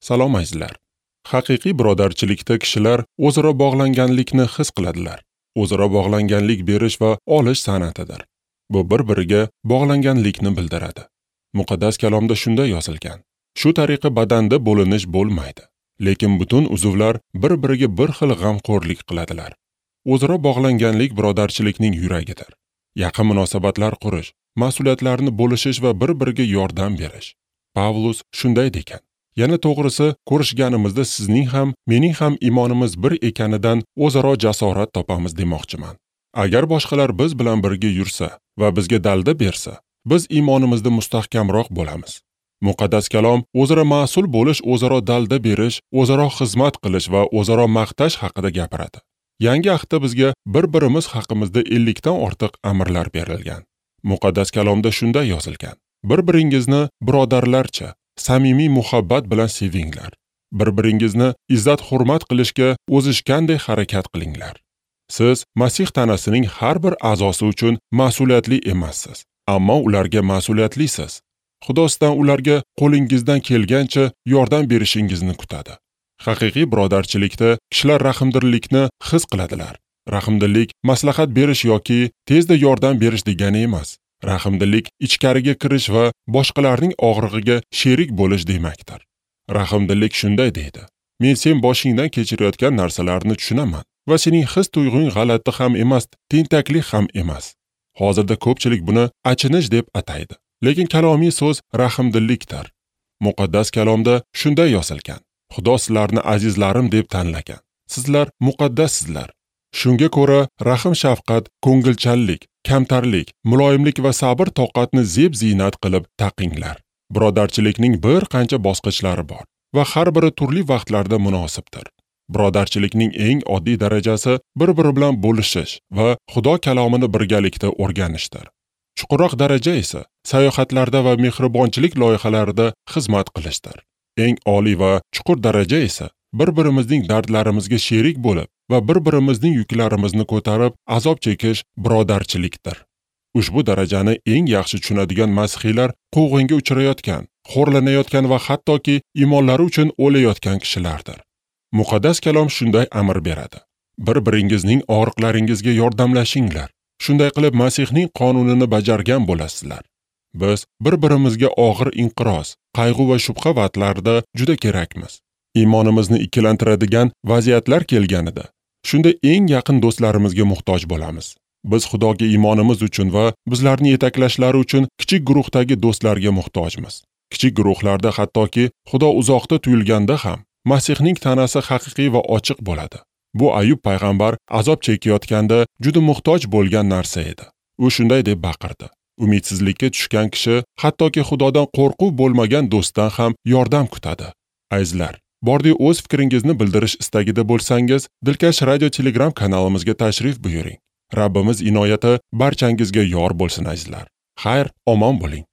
Salom azizlar. Haqiqiy birodarchilikda kishilar o'zaro bog'langanlikni his qiladilar. O'zaro bog'langanlik berish va olish san'atidir. Bu bir-biriga bog'langanlikni bildiradi. Muqaddas kalomda shunday yozilgan: shu tariqa badanda bo'linish bo'lmaydi, lekin butun uzvlar bir-biriga bir xil g'amxo'rlik qiladilar. O'zaro bog'langanlik birodarchilikning yuragidir. Yaqin munosabatlar qurish, mas'uliyatlarni bo'lishish va bir-biriga yordam berish. Pavlus shunday degan: yana to'g'risi, ko'rishganimizda sizning ham, mening ham iymonimiz bir ekanidan o'zaro jasorat topamiz demoqchiman. Agar boshqalar biz bilan birga yursa va bizga dalda bersa, biz iymonimizda mustahkamroq bo'lamiz. Muqaddas kalom o'zaro mas'ul bo'lish, o'zaro dalda berish, o'zaro xizmat qilish va o'zaro maqtash haqida gapiradi. Yangi ahdda bizga bir-birimiz haqimizda 50 dan ortiq amrlar berilgan. Muqaddas kalomda shunday yozilgan: bir-biringizni birodarlarcha samimiy muhabbat bilan sevinglar. Bir-biringizni izzat-hurmat qilishga o'zishganday harakat qilinglar. Siz Masih tanasining har bir a'zosi uchun mas'uliyatli emassiz, ammo ularga mas'uliyatlisiz. Xudo sizdan ularga qo'lingizdan kelgancha yordam berishingizni kutadi. Haqiqiy birodarchilikda kishilar rahmdillikni his qiladilar. Rahmdillik maslahat berish yoki tezda yordam berish degani emas. Rahmdillik ichkariga kirish va boshqalarning og'rig'iga sherik bo'lish demakdir. Rahmdillik shunday deydi: men sen boshingdan kechirayotgan narsalarni tushunaman va sening his tuyg'ung g'alati ham emas, tentaklik ham emas. Hozirda ko'pchilik buni achinish deb ataydi. Lekin kalomiy so'z rahmdillikdir. Muqaddas kalomda shunday yozilgan: Xudo sizlarni azizlarim deb tanlagan. Sizlar muqaddassizlar. Shunga ko'ra rahm-shafqat, ko'ngilchanlik, kamtarlik, muloyimlik va sabr toqatni zeb-ziynat qilib taqinglar. Birodarchilikning bir qancha bosqichlari bor va har biri turli vaqtlarda munosibdir. Birodarchilikning eng oddiy darajasi bir-biri bilan bo'lishish va Xudo kalomini birgalikda o'rganishdir. Chuqurroq daraja esa sayohatlarda va mehribonchilik loyihalarida xizmat qilishdir. Eng oliy va chuqur daraja esa bir-birimizning dardlarimizga sherik bo'lib va bir-birimizning yuklarimizni ko'tarib azob chekish birodarchilikdir. Ushbu darajani eng yaxshi tushunadigan masihiylar quvg'inga uchrayotgan, xo'rlanayotgan va hattoki iymonlari uchun o'layotgan kishilardir. Muqaddas kalom shunday amr beradi: bir-biringizning og'riqlaringizga yordamlashinglar. Shunday qilib Masihning qonunini bajargan bo'lasizlar. Biz bir-birimizga og'ir inqiroz, qayg'u va shubha vaqtlarida juda kerakmiz. Iymonimizni ikkilantiradigan vaziyatlar kelganida, shunda eng yaqin do'stlarimizga muhtoj bo'lamiz. Biz Xudoga iymonimiz uchun va bizlarni yetaklashlari uchun kichik guruhdagi do'stlarga muhtojmiz. Kichik guruhlarda hattoki Xudo uzoqda tuyulganda ham Masihning tanasi haqiqiy va ochiq bo'ladi. Bu Ayub payg'ambar azob chekayotganda juda muhtoj bo'lgan narsa edi. U shunday deb baqirdi: umidsizlikka tushgan kishi hattoki Xudodan qo'rquv bo'lmagan do'stdan ham yordam kutadi. Azizlar, bordi o'z fikringizni bildirish istagida bo'lsangiz, Dilkash radio Telegram kanalimizga tashrif buyuring. Rabbimiz inoyati barchangizga yor bo'lsin azizlar. Xayr, omon bo'ling.